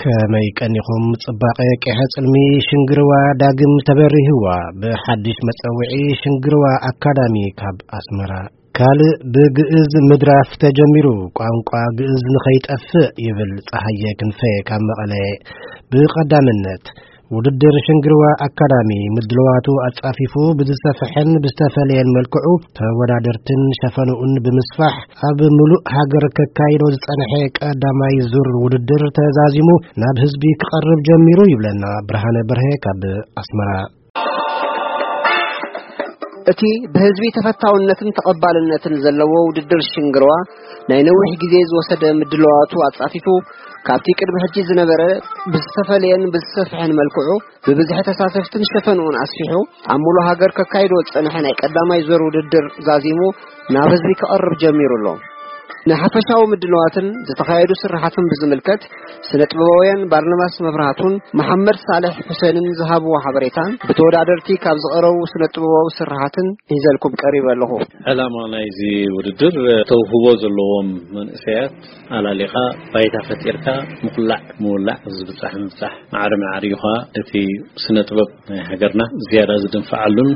ከመይ ቀኒኹም? ጽባቐ ቄሐ ጽልሚ ሽንግርዋ ዳግም ተበሪህዋ ብሓድሽ መጸውዒ ሽንግርዋ ኣካዳሚ ካብ ኣስመራ። ካልእ ብግእዝ ምድራፍ ተጀሚሩ፣ ቋንቋ ግእዝ ንኸይጠፍእ ይብል ጸሃየ ክንፈ ካብ መቐለ። ብቐዳምነት፣ ውድድር ሽንግርዋ ኣካዳሚ ምድልዋቱ ኣጻፊፉ ብዝሰፍሐን ብዝተፈለየን መልክዑ ተወዳደርትን ሸፈንኡን ብምስፋሕ ኣብ ምሉእ ሃገር ከካይዶ ዝጸንሐ ቀዳማይ ዙር ውድድር ተዛዚሙ ናብ ህዝቢ ክቐርብ ጀሚሩ ይብለና ብርሃነ በርሀ ካብ ኣስመራ። እቲ ብህዝቢ ተፈታውነትን ተቐባልነትን ዘለዎ ውድድር ሽንግርዋ ናይ ነዊሕ ግዜ ዝወሰደ ምድልዋቱ ኣጻፊፉ ካብቲ ቅድሚ ሕጂ ዝነበረ ብዝተፈለየን ብዝሰፍሐን መልክዑ ብብዝሒ ተሳተፍትን ሸፈንኡን ኣስፊሑ ኣብ ሙሉ ሃገር ከካይዶ ዝጸንሐ ናይ ቀዳማይ ዙር ውድድር ዛዚሙ ናብ ህዝቢ ክቐርብ ጀሚሩ ኣሎ። ንሓፈሻዊ ምድልዋትን ዝተኻየዱ ስራሓትን ብዝምልከት ስነ ጥበባውያን ባርናባስ መብራህቱን መሓመድ ሳልሕ ሑሴንን ዝሃብዎ ሓበሬታን ብተወዳደርቲ ካብ ዝቐረቡ ስነ ጥበባዊ ስራሓትን ሒዘልኩም ቀሪበ ኣለኹ። ዕላማ ናይዚ ውድድር ተውህቦ ዘለዎም መንእሰያት ኣላሊኻ ባይታ ፈጢርካ ምኹላዕ ምውላዕ፣ ዝብጻሕ ምብጻሕ፣ ማዕረ ማዕሪኡ ኸኣ እቲ ስነ ጥበብ ናይ ሃገርና ዝያዳ ዝድንፍዓሉን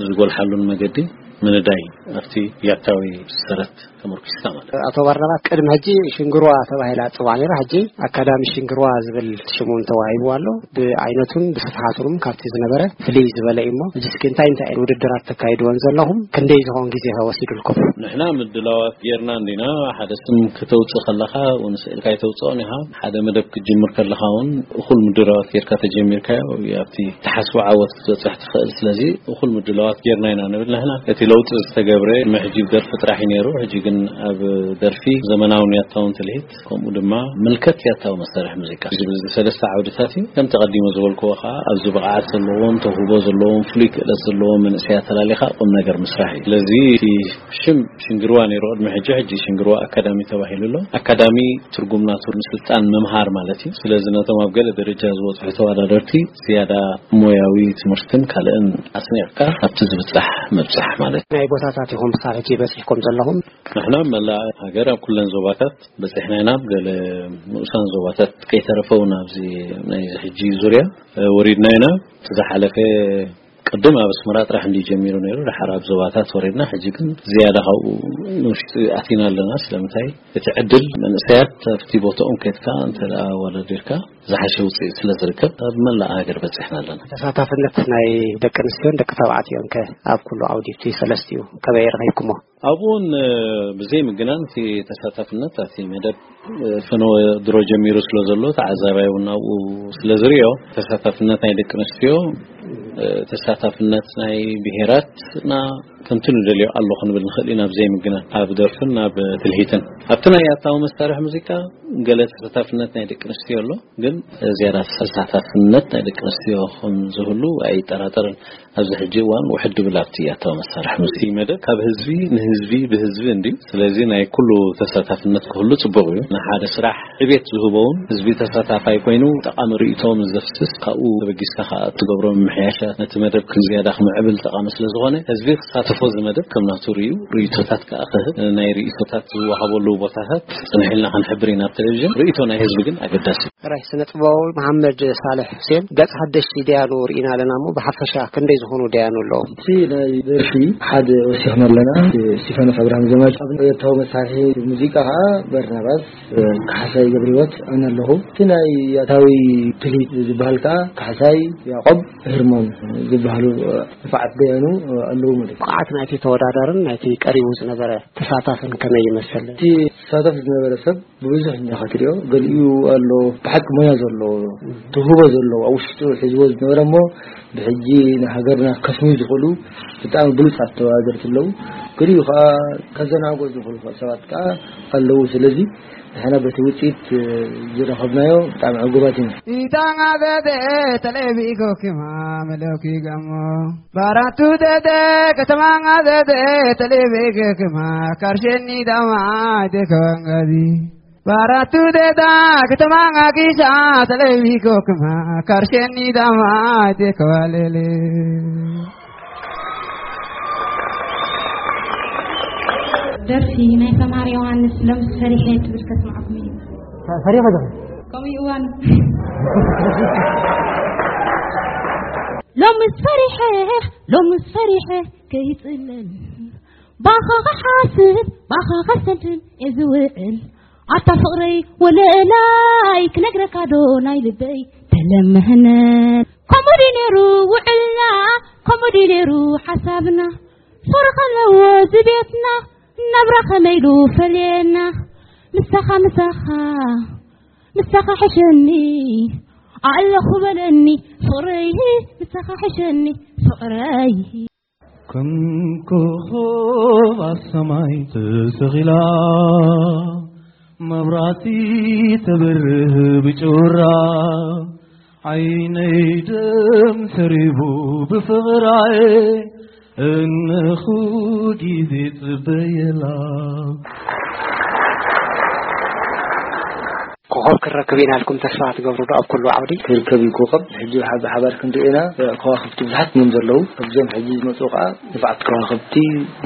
ዝጎልሓሉን መገዲ ምንዳይ ኣብቲ ያታዊ ሰረት ተመርኪስካ ማለት እዩ። ኣቶ ባርናባስ፣ ቅድሚ ሕጂ ሽንግርዋ ተባሂላ ትጽዋዕ ነይራ፣ ሕጂ ኣካዳሚ ሽንግርዋ ዝብል ሽሙ እውን ተዋሂቡ ኣሎ። ብዓይነቱን ብስፍሓቱን ካብቲ ዝነበረ ፍልይ ዝበለ እዩ። እሞ ሕጂ እስኪ እንታይ እንታይ ውድድራት ተካይድዎን ዘለኹም? ክንደይ ዝኾን ግዜ ከ ወሲዱልኩም? ንሕና ምድላዋት ጌርና እንዲና። ሓደ ስም ከተውጽእ ከለኻ እውን ስእልካ ኣይተውጽኦን ኢኻ። ሓደ መደብ ክትጅምር ከለኻ እውን እኹል ምድላዋት ጌርካ ተጀሚርካዮ፣ ኣብቲ ትሓስቦ ዓወት ክትበጽሕ ትኽእል። ስለዚ እኹል ምድላዋት ጌርና ኢና ንብል ንሕና። እቲ ለውጢ ዝተገብረ ቅድሚ ሕጂ ደርፊ ጥራሕ እዩ ነይሩ። ሕጂ ግን ኣብ ደርፊ ዘመናውን ያታውን ትልሂት፣ ከምኡ ድማ ምልከት ያታዊ መሳርሒ ሙዚቃ ዝብል እዚ ሰለስተ ዓውድታት እዩ። ከምቲ ቀዲሞ ዝበልክዎ ከዓ ኣብዚ ብቕዓት ዘለዎም፣ ተውህቦ ዘለዎም፣ ፍሉይ ክእለት ዘለዎም መንእሰያት ኣላሊኻ ቁም ነገር ምስራሕ እዩ። ስለዚ እቲ ሽም ሽንግርዋ ነይሩ ቅድሚ ሕጂ፣ ሕጂ ሽንግርዋ ኣካዳሚ ተባሂሉ ኣሎ። ኣካዳሚ ትርጉም ናቱ ንስልጣን ምምሃር ማለት እዩ። ስለዚ ነቶም ኣብ ገለ ደረጃ ዝበጽሑ ተወዳደርቲ ዝያዳ ሞያዊ ትምህርትን ካልእን ኣስኒቕካ ኣብቲ ዝብጻሕ ምብጻሕ ማለት እዩ። ናይ ቦታታት ኢኹም ክሳብ ሕጂ በጺሕኩም ዘለኹም? ንሕና መላእ ሃገር ኣብ ኩለን ዞባታት በጺሕና ኢና። ኣብ ገለ ንኡሳን ዞባታት ከይተረፈ እውን ኣብዚ ናይዚ ሕጂ ዙርያ፣ እ፣ ወሪድና ኢና። እቲ ዝሓለፈ ቅድም ኣብ ኣስመራ ጥራሕ እንዲ ጀሚሩ ነይሩ፣ ድሓር ኣብ ዞባታት ወሪድና። ሕጂ ግን ዝያዳ ካብኡ ንውሽጢ ኣቲና ኣለና። ስለምንታይ? እቲ ዕድል መንእሰያት ኣብቲ ቦታኦም ከድካ እንተ ደኣ ኣወዳዲርካ ዝሓሸ ውፅኢት ስለ ዝርከብ ኣብ መላእ ሃገር በፂሕና ኣለና። ተሳታፍነት ናይ ደቂ ኣንስትዮን ደቂ ተባዕትዮን ከ ኣብ ኩሉ ዓውዲ እቲ ሰለስቲኡ ከመይ ረኺብኩሞ? ኣብኡ እውን፣ እ፣ ብዘይ ምግናን እቲ ተሳታፍነት ኣብቲ መደብ፣ እ፣ ፈነወ ድሮ ጀሚሩ ስለ ዘሎ ተዓዛባይ እውን ኣብኡ ስለ ዝሪኦ ተሳታፍነት ናይ ደቂ ኣንስትዮ፣ እ፣ ተሳታፍነት ናይ ብሄራትና ከምቲ ንደልዮ ኣሎ ክንብል ንኽእል ኢና። ብዘይ ምግናን ኣብ ደርፍን ኣብ ትልሂትን ኣብቲ ናይ ኣታዊ መሳርሒ ሙዚቃ ገለ ተሳታፍነት ናይ ደቂ ኣንስትዮ ኣሎ፣ ግን ዝያዳ ተሳታፍነት ናይ ደቂ ኣንስትዮ ከም ዝህሉ ኣይጠራጠርን። ኣብዚ ሕጂ እዋን ውሕድ ድብል ኣብቲ ኣታዊ መሳርሒ ሙዚቃ መደብ ካብ ህዝቢ ንህዝቢ ብህዝቢ እንድዩ። ስለዚ ናይ ኩሉ ተሳታፍነት ክህሉ ጽቡቕ እዩ። ንሓደ ስራሕ ዕቤት ዝህቦ እውን ህዝቢ ተሳታፋይ ኮይኑ ጠቓሚ ርእይቶ ምስ ዘፍስስ ካብኡ ተበጊስካ ከኣ እትገብሮ ምምሕያሻት ነቲ መደብ ከም ዝያዳ ክምዕብል ጠቓሚ ስለ ዝኾነ ህዝቢ ክሳተፎ እዚ መደብ ከም ናቱ ርእዩ ርእይቶታት ከኣ ክህብ ናይ ርእይቶታት ዝወሃበሉ ቦታታት ጽንሕ ኢልና ክንሕብር ኢና ኣብ ቴሌቪዥን። ርእይቶ ናይ ህዝቢ ግን ኣገዳሲ እዩ። ራይ ስነ ጥበባዊ መሓመድ ሳልሕ ሁሴን፣ ገጽ ሓደሽቲ ደያኑ ርኢና ኣለና እሞ፣ ብሓፈሻ ክንደይ ዝኾኑ ደያኑ ኣለዉ? እቲ ናይ ደርፊ ሓደ ወሲኽና ኣለና። ስቲፋኖስ ኣብርሃም ዘማች፣ ኣብ ኤርትራዊ መሳርሒ ሙዚቃ ኸዓ በርናባስ፣ እ፣ ካሕሳይ ገብረህይወት ኣነ ኣለኹ። እቲ ናይ ኣታዊ ትልሂት ዝበሃል ከኣ ካሕሳይ ያዕቆብ ህርሞን ዝበሃሉ፣ እ፣ ንፉዓት ደያኑ፣ እ፣ ኣለዉ ማለት እዩ። ብቕዓት ናይቲ ተወዳዳርን ናይቲ ቀሪቡ ዝነበረ ተሳታፍን ከመይ ይመስል? እቲ ተሳታፊ ዝነበረ ሰብ ብብዙሕ እንዲኻ ትሪኦ፣ ገሊኡ ኣሎ ብሓቂ ሞያ ዘለዎ፣ ትውህቦ ዘለዎ፣ ኣብ ውሽጡ ሒዝዎ ዝነበረ እሞ ብሕጂ ንሃገርና ከስምዩ ዝኽእሉ ብጣዕሚ ብሉጻት ተወዳደርቲ ኣለዉ። ገሊኡ ከኣ ከዘናግዑ ዝኽእሉ ሰባት ከኣ ኣለዉ። ስለዚ ንሕና በቲ ውጽኢት ዝረኸብናዮ ብጣዕሚ ዕጉባት ኢና። ኢታንጋ ዘደ ተለቢጎ ክማ መለኪ ጋሞ ባራቱ ዘደ ከተማንጋ ዘደ ተለቢጎ ክማ ካርሸኒ ዳማ ደከዋንጋዚ ባራቱ ደዳ ከተማንጋ ጊሻ ተለቢጎ ክማ ካርሸኒ ዳማ ደከዋሌሌ። ደርፊ ናይ ሰማር ዮሃንስ ሎምስ ፈሪሐ ትብል ከስምዓኩም እዩ። ፈሪኸ ዶ? ሎሚ እዋን ሎምስ ፈሪሐ ሎምስ ፈሪሐ ከይጽለል ባኻ ክሓስብ ባኻ ከሰንትን እዝውዕል ኣታ ፍቕረይ ወለላይ ክነግረካ ዶ ናይ ልበይ ተለመህነ ከምኡ ድዩ ነይሩ ውዕልና ከምኡ ድዩ ነይሩ ሓሳብና ፍቕሪ ከለዎ ዝቤትና ናብራ ከመይ ኢሉ ፈልየና ምሳኻ ምሳኻ ምሳኻ ሕሸኒ ኣለኹ በለኒ ፍቕረይ ምሳኻ ሕሸኒ ፍቕረይ ከም ኮኾብ ኣብ ሰማይ ተሰቒላ መብራቲ ተብርህ ብጩራ ዓይነይ ደም ሰሪቡ ብፍቕራይ እንኹ ግዜ ጽበየላ። ኮኸብ ክረክብ ኢና ኢልኩም ተስፋ ትገብሩ ዶ ኣብ ኩሉ ዓውዲ? ክርከብ እዩ ኮኸብ። ሕጂ ብሓ-፣ ብሓባር ክንሪኦ ኢና። ከዋኽብቲ ብዙሓት እዮም ዘለዉ። ኣብዞም ሕጂ ዝመፁ ከዓ ንብዓት ከዋኽብቲ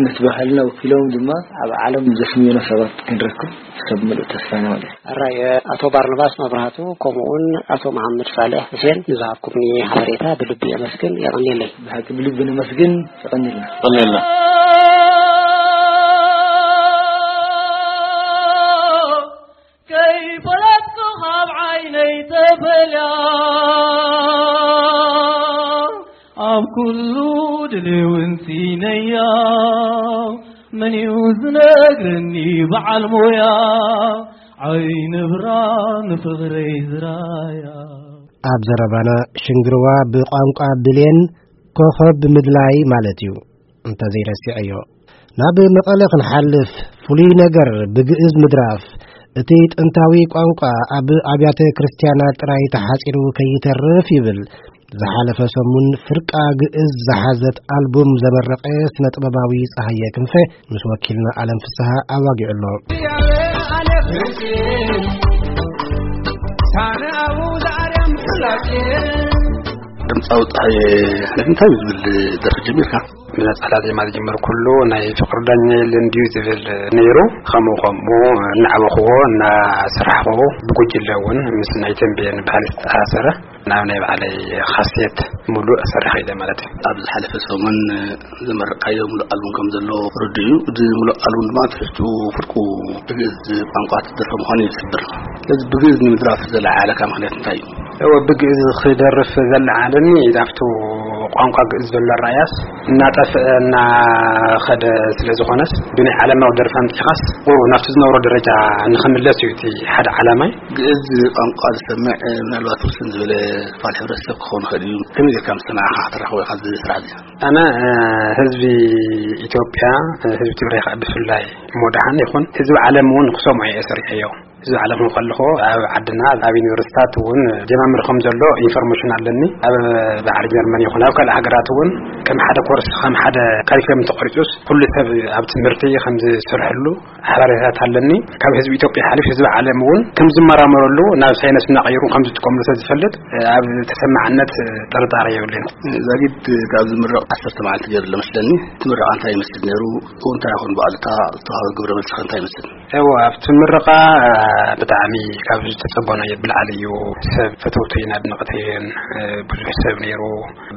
ነቲ ባህልና ወኪሎም ድማ ኣብ ዓለም ዘስምዩና ሰባት ክንረክብ ሰብ ምሉእ ተስፋ ኢና ማለት እዩ። ኣራይ፣ ኣቶ ባርናባስ መብራህቱ ከምኡውን ኣቶ መሓመድ ሳልሕ ሁሴን ንዝሃብኩምኒ ሓበሬታ ብልቢ የመስግን። የቐንየለይ። ብሓቂ ብልቢ ነመስግን። የቐንየልና። የቐንየልና። ከይፈለጥኩ ካብ ዓይነይ ተፈልያ ኣብ ኩሉ ድልውንቲ ነያ መን እዩ ዝነግረኒ በዓል ሞያ ዓይኒ ብራ ንፍቕረይ ዝራያ ኣብ ዘረባና ሽንግርዋ ብቋንቋ ብሌን ኮኸብ ብምድላይ ማለት እዩ። እንተዘይረሲዐዮ ናብ መቐለ ክንሓልፍ ፍሉይ ነገር ብግእዝ ምድራፍ እቲ ጥንታዊ ቋንቋ ኣብ ኣብያተ ክርስቲያናት ጥራይ ተሓጺሩ ከይተርፍ ይብል። ዝሓለፈ ሰሙን ፍርቃ ግእዝ ዝሓዘት ኣልቡም ዘመረቐ ስነ ጥበባዊ ጸሃየ ክንፈ ምስ ወኪልና ኣለም ፍስሃ ኣዋጊዑ ኣሎ። ድምፃዊ ፀሃየ ሕነፊ እንታይ እዩ ዝብል ደርፊ ጀሚርካ? ብነፀላ ዜማ ዝጀመርኩሉ ናይ ፍቅሪ ዳኛ የለን ድዩ ዝብል ነይሩ። ከምኡ ከምኡ እናዓበኽዎ እናሰራሕኽዎ ብጉጅለ እውን ምስ ናይ ተንቤን ባህሊ ዝተኣሳሰረ ናብ ናይ ባዕለይ ካሴት ሙሉእ ሰሪሐ ኢለ ማለት እዩ። ኣብ ዝሓለፈ ሰሙን ዘመረቕካዮ ሙሉእ ኣልቡም ከም ዘሎ ርዱእ እዩ። እዚ ሙሉእ ኣልቡም ድማ ትሕዝትኡ ፍርቁ ብግእዝ ቋንቋ ትደርፎ ምዃኑ እዩ ዝሕብር። ስለዚ ብግእዝ ንምድራፍ ዘለዓዓለካ ምኽንያት እንታይ እዩ? እወ፣ ብግእዝ ክደርፍ ዘለዓዓለኒ ናብቲ ቋንቋ ግእዝ ዘሎ ኣረኣእያስ እናጠፍአ እናኸደ ስለ ዝኾነስ ብናይ ዓለማዊ ደርፊ ኣምፂኻስ ቁሩብ ናብቲ ዝነበሮ ደረጃ ንኽምለስ እዩ እቲ ሓደ ዓላማይ። ግእዝ ቋንቋ ዝሰምዕ ምናልባት ውስን ዝበለ ክፋል ሕብረተሰብ ክኸውን ይኽእል እዩ። ከመይ ጌርካ ምስ ሰማዕኻ ከተራኽቦ ኢኻ እዚ ስራሕ እዚ? ኣነ ህዝቢ ኢትዮጵያ፣ ህዝቢ ትግራይ ከዓ ብፍላይ እሞ ደሓን ይኹን ህዝቢ ዓለም እውን ክሰምዖ እየ ሰሪሐዮ። ህዝቢ ዓለም እውን ከለኹ ኣብ ዓድና ኣብ ዩኒቨርሲታት እውን ጀማምር ከም ዘሎ ኢንፎርሜሽን ኣለኒ። ኣብ ባሕሪ ጀርመን ይኹን ኣብ ካልእ ሃገራት እውን ከም ሓደ ኮርስ ከም ሓደ ካሪክለም ተቆሪፁስ ኩሉ ሰብ ኣብ ትምህርቲ ከም ዝሰርሐሉ ሓበሬታት ኣለኒ። ካብ ህዝቢ ኢትዮጵያ ሓሊፍ ህዝቢ ዓለም እውን ከም ዝመራመረሉ ናብ ሳይንስ እናቐየሩ ከም ዝጥቀምሉ ስለ ዝፈልጥ ኣብ ተሰማዕነት ጥርጣሬ የብለይን። ዛጊድ ካብ ዝምረቕ ዓሰርተ መዓልቲ ገይሩ ኣሎ መስለኒ። እቲ ምረቓ እንታይ ይመስል ነይሩ? እንታይ ይኾን ብኣሉታ ዝተዋህበ ግብረ መልሲ ከ እንታይ ይመስል? እወ፣ ኣብቲ ምረቓ ብጣዕሚ ካብ ዝተጸበናዮ ብላዕሊ እዩ። ሰብ ፈተውተይን ኣድነቕተይን ብዙሕ ሰብ ነይሩ።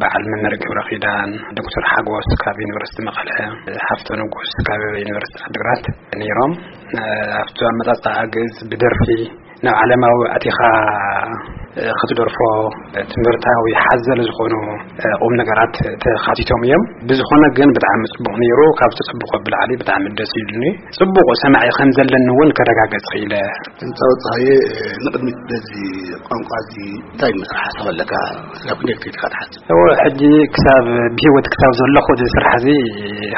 በዓል መምህር ገብረ ኪዳን፣ ዶክተር ሓጎስ ካብ ዩኒቨርሲቲ መቐለ፣ ሃፍቶ ንጉስ ካብ ዩኒቨርሲቲ ዓድግራት ነይሮም። ኣብቲ ኣመጻጽኣ ግእዝ ብደርፊ ናብ ዓለማዊ ኣቲኻ ክትደርፎ ትምህርታዊ ሓዘል ዝኾኑ ቁም ነገራት ተኻቲቶም እዮም። ብዝኾነ ግን ብጣዕሚ ጽቡቕ ነይሩ። ካብ ተጸብቆ ብላዕሊ ብጣዕሚ ደስ ኢሉኒ። ጽቡቕ ሰማዒ ከም ዘለኒ እውን ከረጋገጽ ክኢለ። ህንፃ ወፅሃየ ንቅድሚት በዚ ቋንቋ እዚ እንታይ ምስራሕ ሓሳብ ኣለካ? ስለ ኩኔክቲቭ ኢኻ ትሓስብ? እወ፣ ሕጂ ክሳብ ብህይወት ክሳብ ዘለኹ እዚ ስራሕ እዚ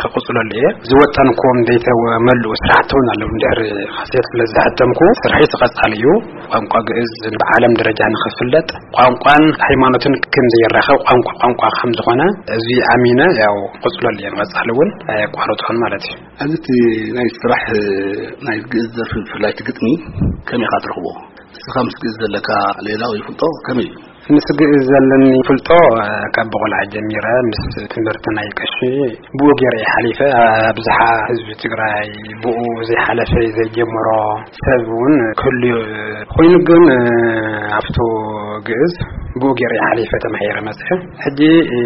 ክቕፅለሉ እየ። ዝወጠንኩም ዘይተመልኡ ስራሕቲ እውን ኣለዉ። እንድሕር ካሴት ስለ ዝሓተምኩ ስርሐይ ክቐፃል እዩ። ቋንቋ ግእዝ ብዓለም ደረጃ ንኽፍለጥ ቋንቋን ሃይማኖትን ከም ዘየራኸብ ቋንቋ ቋንቋ ከም ዝኾነ እዚ ኣሚነ ያው ክቕፅለሉ እየ። ንቐፃሊ እውን ኣየቋርፆን ማለት እዩ። ኣብዚ እቲ ናይ ስራሕ ናይ ግእዝ ደርፊ ብፍላይ እቲ ግጥሚ ከመይ ኢኻ ትረኽቦ? ንስኻ ምስ ግእዝ ዘለካ ሌላ ወይ ፍልጦ ከመይ እዩ? ምስ ግእዝ ዘለኒ ፍልጦ፣ እ፣ ካብ ብቆልዓ ጀሚረ ምስ ትምህርቲ ናይ ቀሺ ብኡ ገይረ እየ ሓሊፈ። ኣብዝሓ ህዝቢ ትግራይ ብኡ ዘይሓለፈ ዘይጀመሮ ሰብ እውን ክህሉ ኮይኑ፣ ግን፣ እ፣ ኣብቱ ግእዝ ብኡ ገይረ እየ ሓሊፈ ተማሂረ መፅሐ። ሕጂ፣ እ፣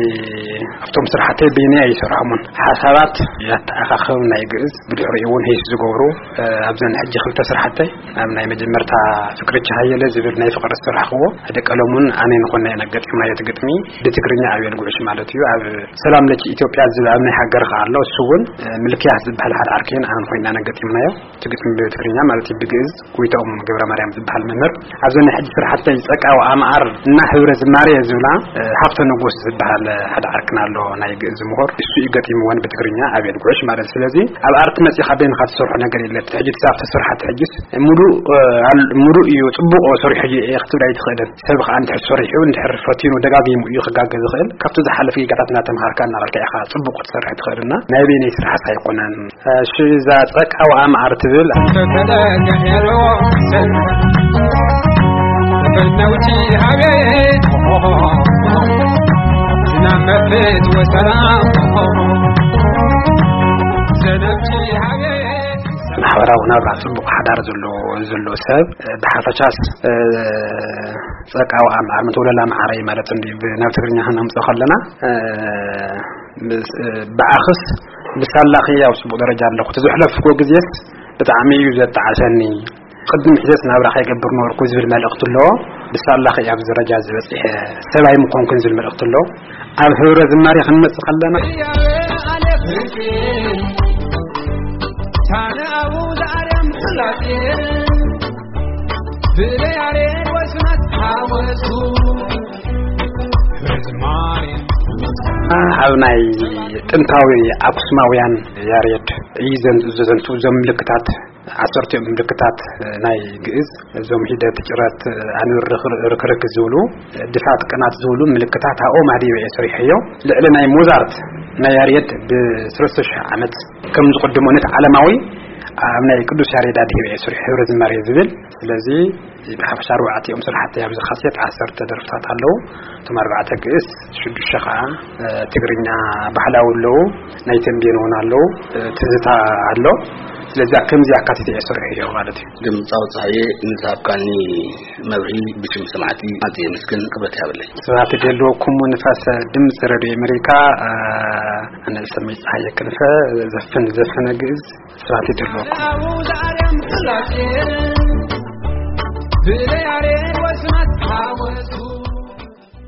ኣብቶም ስራሕተይ በይነይ ኣይሰርሖምን። ሓሳባት ያተኣኻኸብ ናይ ግእዝ ብድሕሪኡ እውን ሄስ ዝገብሩ፣ እ፣ ኣብዘን ሕጂ ክልተ ስራሕተይ ኣብ ናይ መጀመርታ ፍቅሪ ቻሃየለ ዝብል ናይ ፍቅሪ ዝሰራሕክዎ፣ ሓደ ቀለሙን ኣነን ኮይና ኢና ገጢምናዮ። እቲ ግጥሚ ብትግርኛ ኣቤል ጉዕሽ ማለት እዩ። ኣብ ሰላም ለኪ ኢትዮጵያ ዝብል ኣብ ናይ ሃገር ከኣ ኣሎ። እሱ እውን፣ እ፣ ምልክያት ዝበሃል ሓደ ዓርክን ኣነን ኮይና ኢና ገጢምናዮ። እቲ ግጥሚ ብትግርኛ ማለት እዩ። ብግእዝ ጎይታኦም ገብረ ማርያም ዝበሃል መምህር። ኣብዘን ናይ ሕጂ ስራሕተይ ጸቃው ኣምዓር እና ህብረ ዝማሬ ዝብላ፣ እ፣ ሃብተ ንጉስ ዝበሃል ሓደ ዓርክና ኣሎ፣ ናይ ግእዝ ምሁር። እሱ እዩ ገጢምወን ብትግርኛ ኣቤል ጉዕሽ ማለት። ስለዚ ኣብ ኣርት መጺኻ በይንኻ ትሰርሖ ነገር የለ። ሕጂ ትሳብ ተሰርሓት ሕጂስ ሙሉእ፣ እ፣ ኣል-፣ ሙሉእ እዩ፣ ጽቡቕ ሰሪሑ እዩ እየ ክትብል ኣይትኽእልን። ሰብ ከኣ እንድሕር ሰሪሑ፣ እንድሕር ፈቲኑ፣ ደጋጊሙ እዩ ክጋገ ዝኽእል። ካብቲ ዝሓለፈ ጌጋታት እናተምሃርካ እናበልካ ኢኻ ጽቡቕ ክትሰርሕ ትኽእል እና ናይ በይነይ ስራሕስ ኣይኮነን። እሺ፣ እዛ ጸቃው ኣምዓር ትብል። ማሕበራዊ ናብራ ጽቡቕ ሓዳር ዘሎ፣ ዘሎ ሰብ፣ ብሓፈሻስ፣ እ፣ ጸቃው ኣምዓር፣ መተውለላ መዓረይ ማለት እንዲ ብ-፣ ናብ ትግርኛ ክነምጽኦ ከለና፣ እ፣ ምስ-፣ እ፣ ብኣኽስ ብሳላኺ ኣብ ጽቡቕ ደረጃ ኣለኹ። እቲ ዘሕለፍኩዎ ግዜስ ብጣዕሚ እዩ ዘጣዕሰኒ። ቅድሚ ሕደስ ናብራ ከይገብር ነበርኩ ዝብል መልእኽቲ ኣለዎ። ብሳላኺ ኣብ ደረጃ ዝበጽሐ ሰብ ኣይምኾንኩን ዝብል መልእኽቲ ኣለዎ። ኣብ ህብረ ዝማሬ ክንመጽእ ከለና፣ ኣብ ናይ ጥንታዊ ኣክሱማውያን ያሬድ እዩ ዘን-፣ ዘዘንቱ እዞም ምልክታት፣ ዓሰርቲኦም ምልክታት ናይ ግእዝ፣ እዞም ሒደት፣ ጭረት፣ ኣንብር፣ ርክርክ ዝብሉ፣ ድፋት፣ ቅናት ዝብሉ ምልክታት ኣብኦም ኣድሂበ እየ ሰሪሐዮ። ልዕሊ ናይ ሞዛርት፣ ናይ ያሬድ ብሰለስተ ሽሕ ዓመት ከም ዝቕድሞ ነቲ ዓለማዊ ኣብ ናይ ቅዱስ ያሬድ ኣድሂበ እየ ሰሪሐ ህብረ ዝማሬ ዝብል። ስለዚ ብሓፈሻ ኣርባዕቲኦም ስራሕቲ ኣብዚ ካሴት ዓሰርተ ደርፍታት ኣለዉ። እቶም ኣርባዕተ ግእዝ፣ ሽዱሽተ ኸዓ፣ እ፣ ትግርኛ ባህላዊ ኣለዉ፣ ናይ ተምቤን እውን ኣለዉ፣ እ፣ ትዝታ ኣሎ። ስለዚ ከምዚ ኣካቲተ እየ ሰሪሐዮ ማለት እዩ። ድምፃዊ ፀሃየ፣ ንዝሃብካኒ መብርሂ ብሽም ሰማዕቲ ኣዝየ የመስግን፣ ክብረት ይሃበለይ። ስብሐት ይደልወኩም ንፋስ ድምፂ ሬድዮ ኣሜሪካ። እ፣ ኣነ ሰመይ ፀሃየ ክንፈ፣ ዘፍን ዘፈነ ግእዝ። ስብሐት ይደልወኩም።